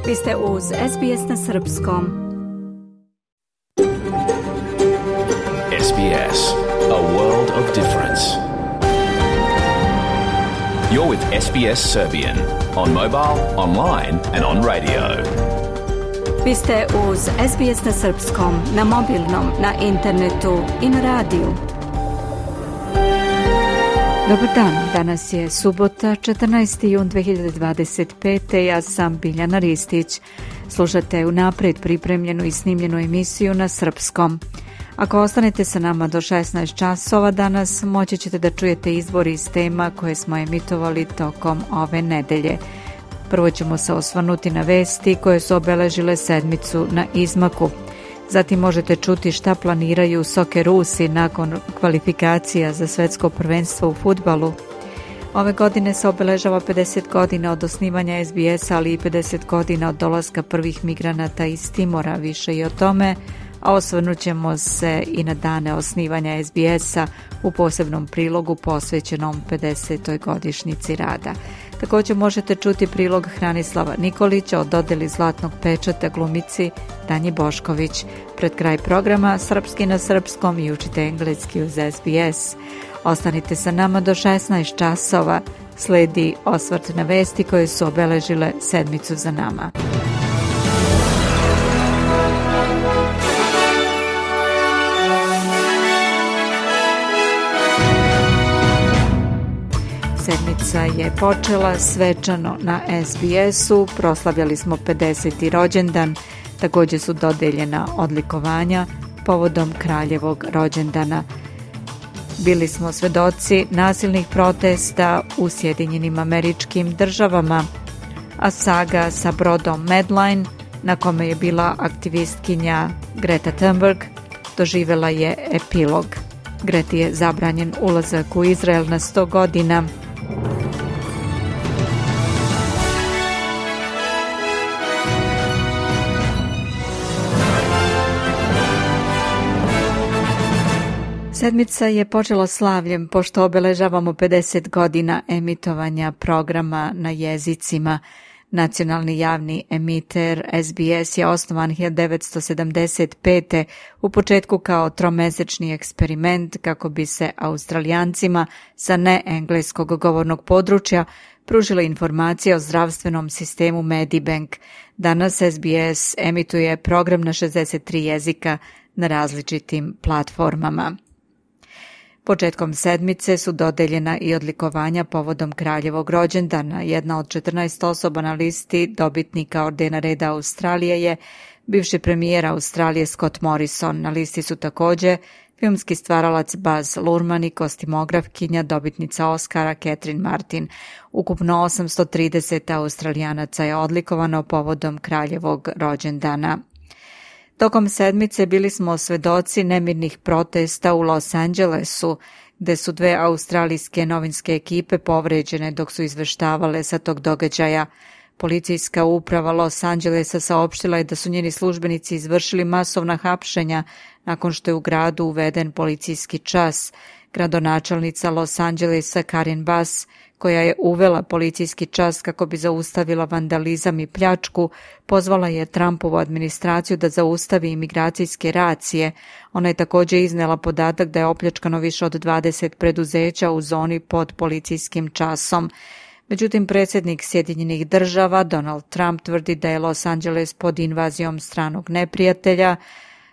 Vi ste uz SBS na Srpskom. SBS, a world of difference. You're with SBS Serbian on mobile, online and on radio. Vi ste uz SBS na Srpskom, na mobilnom, na internetu i na radiju. Dobar dan, danas je subota, 14. jun 2025. Ja sam Biljana Ristić. Slušate unaprijed pripremljenu i snimljenu emisiju na srpskom. Ako ostanete sa nama do 16 časova danas, moći ćete da čujete izbor iz tema koje smo emitovali tokom ove nedelje. Prvo ćemo se osvrnuti na vesti koje su obeležile sedmicu na izmaku. Zatim možete čuti šta planiraju Sokerusi nakon kvalifikacija za svetsko prvenstvo u fudbalu. Ove godine se obeležava 50 godina od osnivanja SBS-a, ali i 50 godina od dolaska prvih migranata iz Timora. Više i o tome, a osvrnut ćemo se i na dane osnivanja SBS-a u posebnom prilogu posvećenom 50. godišnjici rada. Također možete čuti prilog Hranislava Nikolića o dodeli zlatnog pečata glumici Danji Bošković. Pred kraj programa Srpski na srpskom i učite engleski uz SBS. Ostanite sa nama do 16 časova. Sledi osvrt na vesti koje su obeležile sedmicu za nama. Sedmica je počela svečano na SBS-u, proslavljali smo 50. rođendan, također su dodeljena odlikovanja povodom kraljevog rođendana. Bili smo svedoci nasilnih protesta u Sjedinjenim Američkim Državama, a saga sa brodom Medline, na kome je bila aktivistkinja Greta Thunberg, doživjela je epilog. Greti je zabranjen ulazak u Izrael na 100 godina. Sedmica je počela slavljem pošto obeležavamo 50 godina emitovanja programa na jezicima. Nacionalni javni emiter SBS je osnovan 1975. u početku kao tromesečni eksperiment kako bi se Australijancima sa neengleskog govornog područja pružile informacije o zdravstvenom sistemu Medibank. Danas SBS emituje program na 63 jezika na različitim platformama. Početkom sedmice su dodeljena i odlikovanja povodom kraljevog rođendana. Jedna od 14 osoba na listi dobitnika ordena reda Australije je bivši premijer Australije Scott Morrison. Na listi su također filmski stvaralac Baz Luhrmann i kostimografkinja dobitnica Oscara Catherine Martin. Ukupno 830 Australijanaca je odlikovano povodom kraljevog rođendana. Tokom sedmice bili smo svedoci nemirnih protesta u Los Angelesu, gde su dve australijske novinske ekipe povređene dok su izveštavale sa tog događaja. Policijska uprava Los Angelesa saopštila je da su njeni službenici izvršili masovna hapšenja nakon što je u gradu uveden policijski čas. Gradonačelnica Los Angelesa Karen Bass, koja je uvela policijski čas kako bi zaustavila vandalizam i pljačku, pozvala je Trumpovu administraciju da zaustavi imigracijske racije. Ona je također iznela podatak da je opljačkano više od 20 preduzeća u zoni pod policijskim časom. Međutim, predsjednik Sjedinjenih Država Donald Trump tvrdi da je Los Angeles pod invazijom stranog neprijatelja.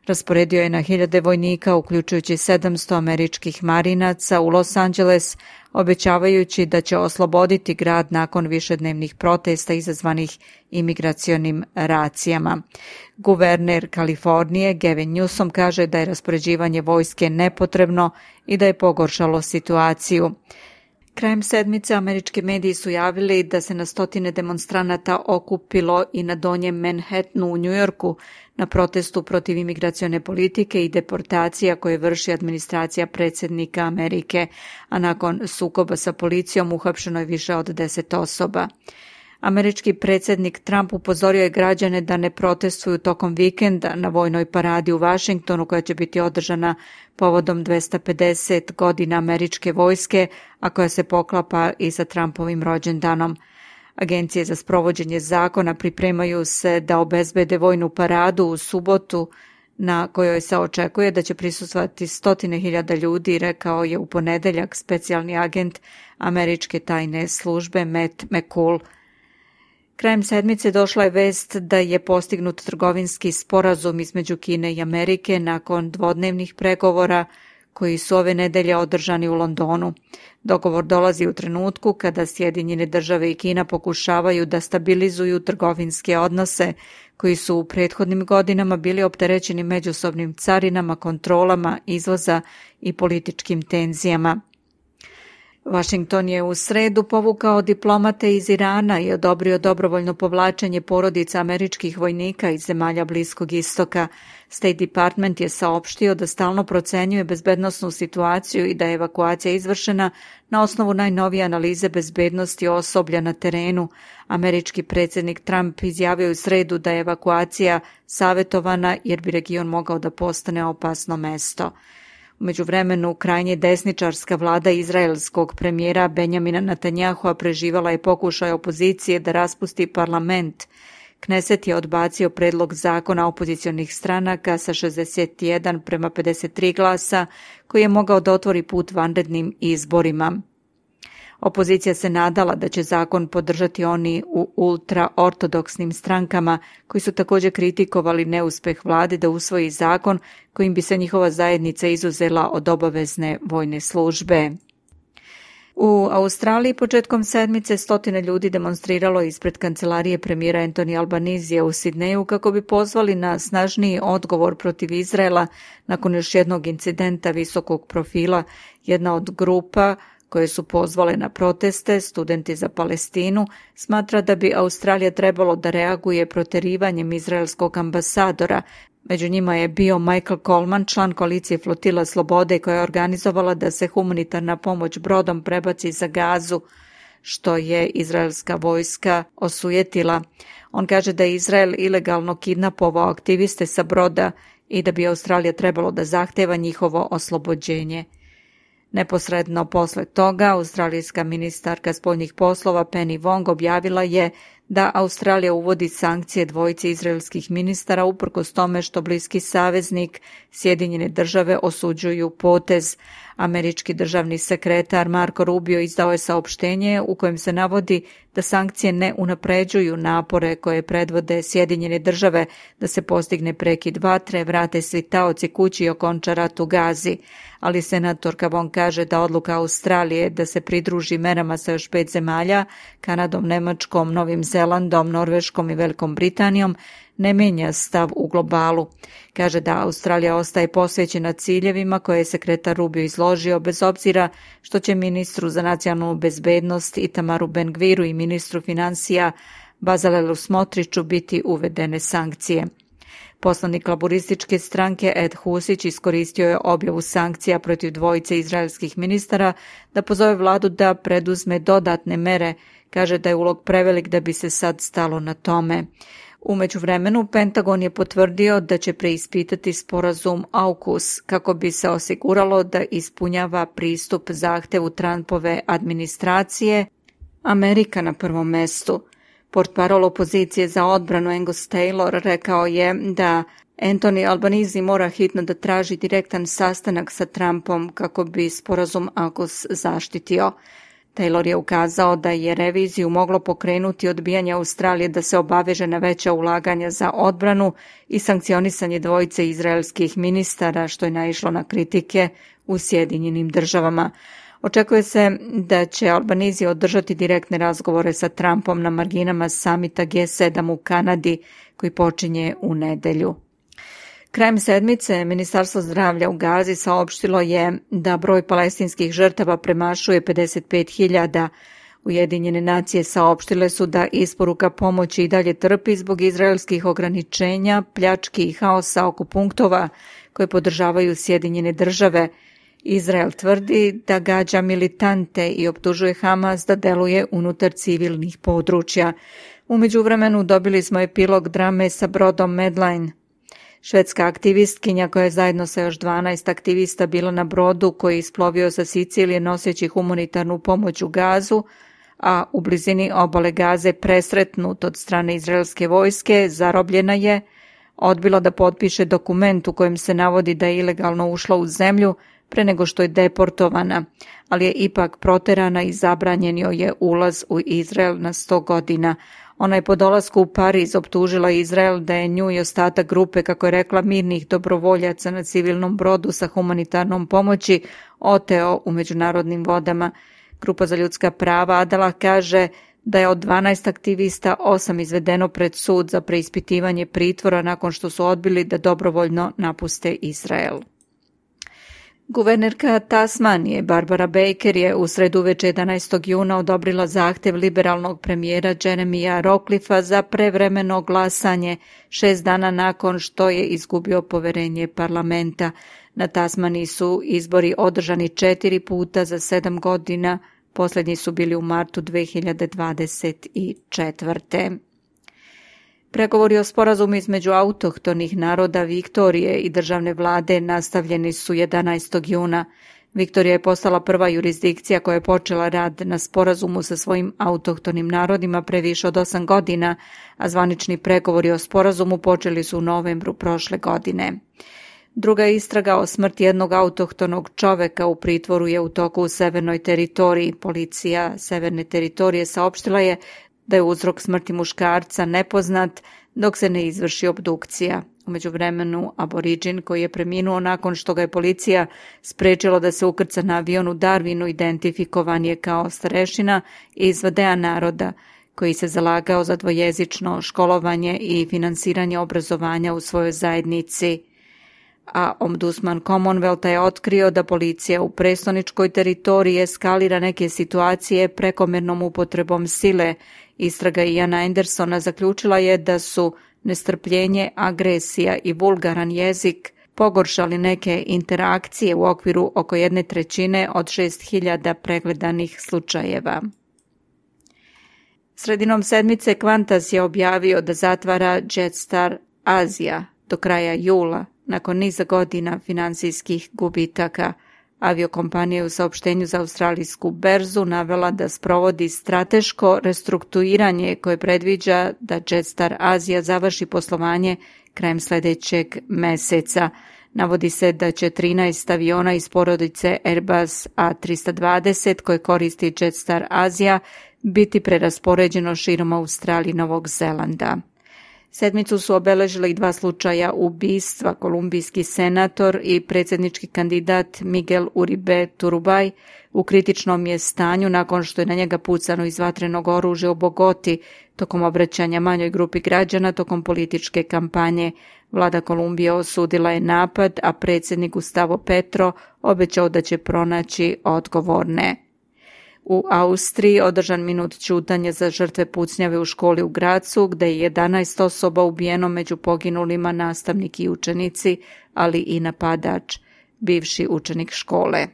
Rasporedio je na 1000 vojnika, uključujući 700 američkih marinaca u Los Angeles, obećavajući da će osloboditi grad nakon višednevnih protesta izazvanih imigracionim racijama. Guverner Kalifornije Gavin Newsom kaže da je raspoređivanje vojske nepotrebno i da je pogoršalo situaciju. Krajem sedmice američki mediji su javili da se na stotine demonstranata okupilo i na donjem Manhattanu u Njujorku na protestu protiv imigracione politike i deportacija koje vrši administracija predsjednika Amerike, a nakon sukoba sa policijom uhapšeno je više od 10 osoba. Američki predsjednik Trump upozorio je građane da ne protestuju tokom vikenda na vojnoj paradi u Washingtonu koja će biti održana povodom 250 godina američke vojske, a koja se poklapa i sa Trumpovim rođendanom. Agencije za sprovođenje zakona pripremaju se da obezbede vojnu paradu u subotu na kojoj se očekuje da će prisustvovati 100.000 ljudi, rekao je u ponedeljak specijalni agent američke tajne službe Matt McCall. Krajem sedmice došla je vest da je postignut trgovinski sporazum između Kine i Amerike nakon dvodnevnih pregovora koji su ove nedelje održani u Londonu. Dogovor dolazi u trenutku kada Sjedinjene države i Kina pokušavaju da stabilizuju trgovinske odnose koji su u prethodnim godinama bili opterećeni međusobnim carinama, kontrolama izvoza i političkim tenzijama. Washington je u sredu povukao diplomate iz Irana i odobrio dobrovoljno povlačenje porodica američkih vojnika iz zemalja Bliskog istoka. State Department je saopštio da stalno procenjuje bezbednosnu situaciju i da je evakuacija izvršena na osnovu najnovije analize bezbednosti osoblja na terenu. Američki predsjednik Trump izjavio u sredu da je evakuacija savjetovana jer bi region mogao da postane opasno mesto. U međuvremenu, krajnje desničarska vlada izraelskog premijera Benjamina Netanjahua preživala je pokušaj opozicije da raspusti parlament. Kneset je odbacio predlog zakona opozicionih stranaka sa 61:53 glasa, koji je mogao da otvori put vanrednim izborima. Opozicija se nadala da će zakon podržati oni u ultraortodoksnim strankama, koji su također kritikovali neuspeh vlade da usvoji zakon kojim bi se njihova zajednica izuzela od obavezne vojne službe. U Australiji početkom sedmice 100 ljudi demonstriralo ispred kancelarije premijera Anthony Albanizija u Sidneju kako bi pozvali na snažniji odgovor protiv Izraela nakon još jednog incidenta visokog profila. Jedna od grupa koje su pozvale na proteste, Studenti za Palestinu, smatra da bi Australija trebalo da reaguje proterivanjem izraelskog ambasadora. Među njima je bio Michael Coleman, član koalicije Flotila Slobode, koja je organizovala da se humanitarna pomoć brodom prebaci za Gazu, što je izraelska vojska osujetila. On kaže da je Izrael ilegalno kidnapovao aktiviste sa broda i da bi Australija trebalo da zahteva njihovo oslobođenje. Neposredno posle toga, australijska ministarka spoljnih poslova Penny Wong objavila je da Australija uvodi sankcije dvojici izraelskih ministara uprkos tome što bliski saveznik Sjedinjene države osuđuju potez. Američki državni sekretar Marco Rubio izdao je saopštenje u kojem se navodi da sankcije ne unapređuju napore koje predvode Sjedinjene države da se postigne prekid vatre, vrate svi taoci kući i okonča rat u Gazi. Ali senatorka Wong kaže da odluka Australije da se pridruži merama sa još 5 zemalja, Kanadom, Nemačkom, Novim Zelandom, Norveškom i Velikom Britanijom, ne mijenja stav u globalu. Kaže da Australija ostaje posvećena ciljevima koje je sekretar Rubio izložio, bez obzira što će ministru za nacionalnu bezbednost Itamaru Ben-Gviru i ministru financija Bezalelu Smotriću biti uvedene sankcije. Poslanik laborističke stranke Ed Husić iskoristio je objavu sankcija protiv dvojice izraelskih ministara da pozove vladu da preduzme dodatne mere. Kaže da je ulog prevelik da bi se sad stalo na tome. U međuvremenu, Pentagon je potvrdio da će preispitati sporazum AUKUS kako bi se osiguralo da ispunjava pristup zahtevu Trumpove administracije, Amerika na prvom mestu. Portparol opozicije za odbranu Angus Taylor rekao je da Anthony Albanese mora hitno da traži direktan sastanak sa Trumpom kako bi sporazum AUKUS zaštitio. Taylor je ukazao da je reviziju moglo pokrenuti odbijanje Australije da se obaveže na veća ulaganja za odbranu i sankcionisanje dvojice izraelskih ministara, što je naišlo na kritike u Sjedinjenim državama. Očekuje se da će Albanese održati direktne razgovore sa Trumpom na marginama samita G7 u Kanadi koji počinje u nedelju. Krajem sedmice Ministarstvo zdravlja u Gazi saopštilo je da broj palestinskih žrtava premašuje 55.000. Ujedinjene nacije saopštile su da isporuka pomoći i dalje trpi zbog izraelskih ograničenja, pljački i haosa oko punktova koje podržavaju Sjedinjene države. Izrael tvrdi da gađa militante i optužuje Hamas da deluje unutar civilnih područja. U međuvremenu dobili smo epilog drame sa brodom Medline. Švedska aktivistkinja koja je zajedno sa još 12 aktivista bila na brodu koji je isplovio sa Sicilije noseći humanitarnu pomoć u Gazu, a u blizini obale Gaze presretnut od strane izraelske vojske, zarobljena je, odbila da potpiše dokument u kojem se navodi da je ilegalno ušla u zemlju pre nego što je deportovana, ali je ipak proterana i zabranjen joj je ulaz u Izrael na 100 godina. Ona je po dolasku u Pariz optužila Izrael da je nju i ostatak grupe, kako je rekla, mirnih dobrovoljaca na civilnom brodu sa humanitarnom pomoći oteo u međunarodnim vodama. Grupa za ljudska prava Adalah kaže da je od 12 aktivista 8 izvedeno pred sud za preispitivanje pritvora nakon što su odbili da dobrovoljno napuste Izrael. Guvernerka Tasmanije Barbara Baker je u sredu uveče 11. juna odobrila zahtev liberalnog premijera Jeremija Rocklifa za prevremeno glasanje 6 dana nakon što je izgubio poverenje parlamenta. Na Tasmaniji su izbori održani 4 puta za 7 godina, posljednji su bili u martu 2024. Pregovori o sporazumu između autohtonih naroda Viktorije i državne vlade nastavljeni su 11. juna. Viktorija je postala prva jurisdikcija koja je počela rad na sporazumu sa svojim autohtonim narodima pre više od 8 godina, a zvanični pregovori o sporazumu počeli su u novembru prošle godine. Druga istraga o smrti jednog autohtonog čoveka u pritvoru je u toku u Severnoj teritoriji. Policija Severne teritorije saopštila je da je uzrok smrti muškarca nepoznat dok se ne izvrši obdukcija. U međuvremenu, aboriđin koji je preminuo nakon što ga je policija sprečila da se ukrca na avion u Darwinu identifikovan je kao starešina iz Vadea naroda koji se zalagao za dvojezično školovanje i finansiranje obrazovanja u svojoj zajednici. A ombudsman Commonwealtha je otkrio da policija u prestoničkoj teritoriji eskalira neke situacije prekomjernom upotrebom sile. Istraga Iana Andersona zaključila je da su nestrpljenje, agresija i vulgaran jezik pogoršali neke interakcije u okviru oko 1/3 od 6.000 pregledanih slučajeva. Sredinom sedmice Qantas je objavio da zatvara Jetstar Azija do kraja jula, nakon niza godina finansijskih gubitaka. Aviokompanija je u saopštenju za australijsku berzu navela da sprovodi strateško restrukturiranje koje predviđa da Jetstar Azija završi poslovanje krajem sljedećeg meseca. Navodi se da će 13 aviona iz porodice Airbus A320 koje koristi Jetstar Azija biti preraspoređeno širom Australije i Novog Zelanda. Sedmicu su obeležili i 2 slučaja ubistva. Kolumbijski senator i predsjednički kandidat Miguel Uribe Turbay u kritičnom je stanju nakon što je na njega pucano iz vatrenog oružja u Bogoti tokom obraćanja manjoj grupi građana tokom političke kampanje. Vlada Kolumbije osudila je napad, a predsjednik Gustavo Petro obećao da će pronaći odgovorne. U Austriji održan minut ćutanja za žrtve pucnjave u školi u Gracu, gde je 11 osoba ubijeno, među poginulima nastavnik i učenici, ali i napadač, bivši učenik škole.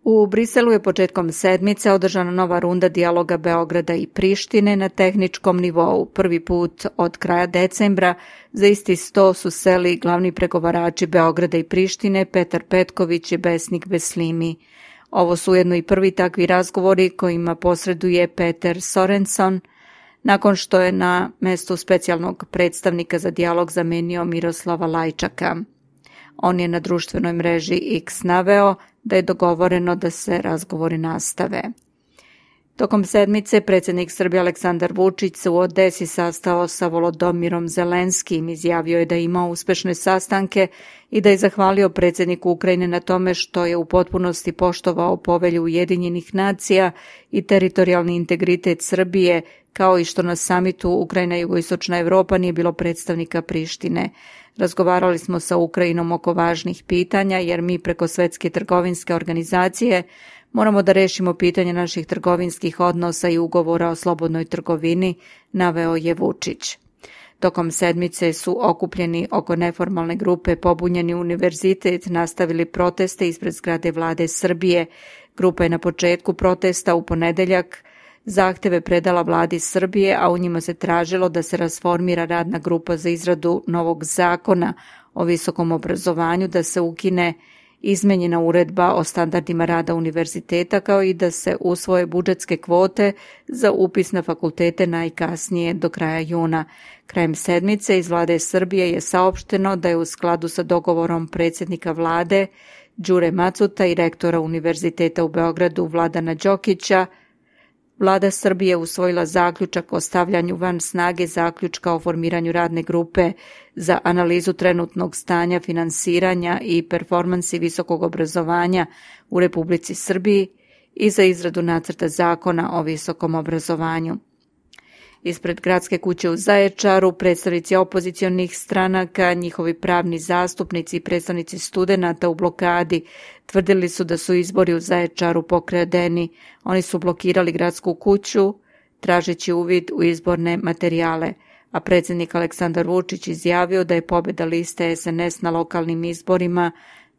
U Briselu je početkom sedmice održana nova runda dijaloga Beograda i Prištine na tehničkom nivou. Prvi put od kraja decembra za isti sto su seli glavni pregovarači Beograda i Prištine Petar Petković i Besnik Beslimi. Ovo su ujedno i prvi takvi razgovori kojima posreduje Peter Sorenson, nakon što je na mestu specijalnog predstavnika za dijalog zamenio Miroslava Lajčaka. On je na društvenoj mreži X naveo da je dogovoreno da se razgovori nastave. Tokom sedmice predsjednik Srbije Aleksandar Vučić se u Odesi sastao sa Volodomirom Zelenskim, izjavio je da je imao uspešne sastanke i da je zahvalio predsjedniku Ukrajine na tome što je u potpunosti poštovao povelju Ujedinjenih nacija i teritorijalni integritet Srbije, kao i što na samitu Ukrajina i Jugoistočna Evropa nije bilo predstavnika Prištine. Razgovarali smo sa Ukrajinom oko važnih pitanja jer mi preko Svjetske trgovinske organizacije moramo da rešimo pitanje naših trgovinskih odnosa i ugovora o slobodnoj trgovini, naveo je Vučić. Tokom sedmice su okupljeni oko neformalne grupe Pobunjeni univerzitet nastavili proteste ispred zgrade vlade Srbije. Grupa je na početku protesta u ponedeljak zahteve predala vladi Srbije, a u njima se tražilo da se rasformira radna grupa za izradu novog zakona o visokom obrazovanju, da se ukine izmenjena uredba o standardima rada univerziteta, kao i da se usvoje budžetske kvote za upis na fakultete najkasnije do kraja juna. Krajem sedmice iz Vlade Srbije je saopšteno da je u skladu sa dogovorom predsjednika vlade Đure Macuta i rektora Univerziteta u Beogradu Vladana Đokića, Vlada Srbije usvojila zaključak o stavljanju van snage zaključka o formiranju radne grupe za analizu trenutnog stanja finansiranja i performansi visokog obrazovanja u Republici Srbiji i za izradu nacrta zakona o visokom obrazovanju. Ispred Gradske kuće u Zaječaru predstavnici opozicionih stranaka, njihovi pravni zastupnici i predstavnici studenata u blokadi tvrdili su da su izbori u Zaječaru pokradeni. Oni su blokirali Gradsku kuću tražeći uvid u izborne materijale, a predsjednik Aleksandar Vučić izjavio da je pobjeda liste SNS na lokalnim izborima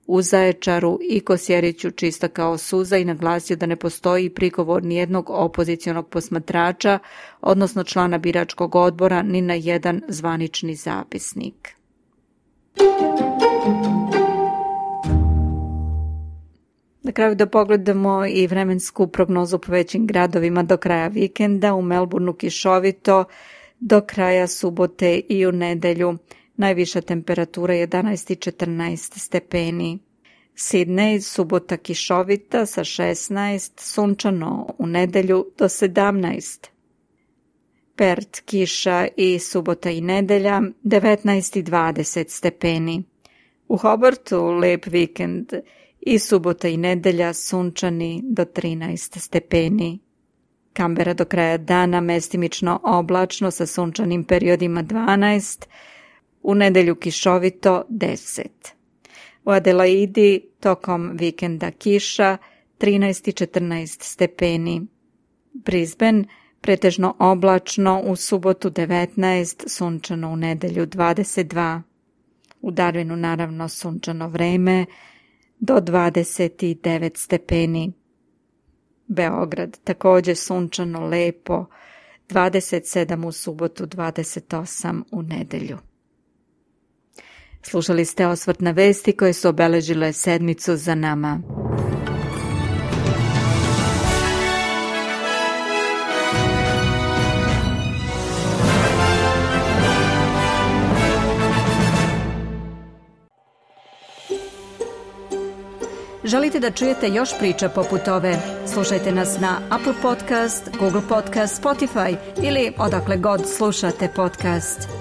u Zaječaru i Kosjeriću čista kao suza i naglasio da ne postoji prigovor nijednog opozicionog posmatrača, odnosno člana biračkog odbora, ni na jedan zvanični zapisnik. Na kraju da pogledamo i vremensku prognozu po većim gradovima do kraja vikenda. U Melbourneu kišovito, do kraja subote i u nedelju. Najviša temperatura 11 i 14 stepeni. Sidney, subota kišovita sa 16, sunčano u nedelju do 17. Perth, kiša i subota i nedelja 19 i 20 stepeni. U Hobartu lep vikend i subota i nedelja sunčani do 13 stepeni. Kambera do kraja dana mestimično oblačno sa sunčanim periodima 12, u nedelju kišovito 10. U Adelaidi tokom vikenda kiša 13 i 14 stepeni. Brisbane pretežno oblačno u subotu 19, sunčano u nedelju 22. U Darwinu naravno sunčano vreme do 29 stepeni. Beograd također sunčano lepo 27 u subotu, 28 u nedelju. Slušali ste osvrt na vesti koje su obeležile sedmicu za nama. Želite da čujete još priča poput ove? Slušajte nas na Apple Podcast, Google Podcast, Spotify ili odakle god slušate podcast.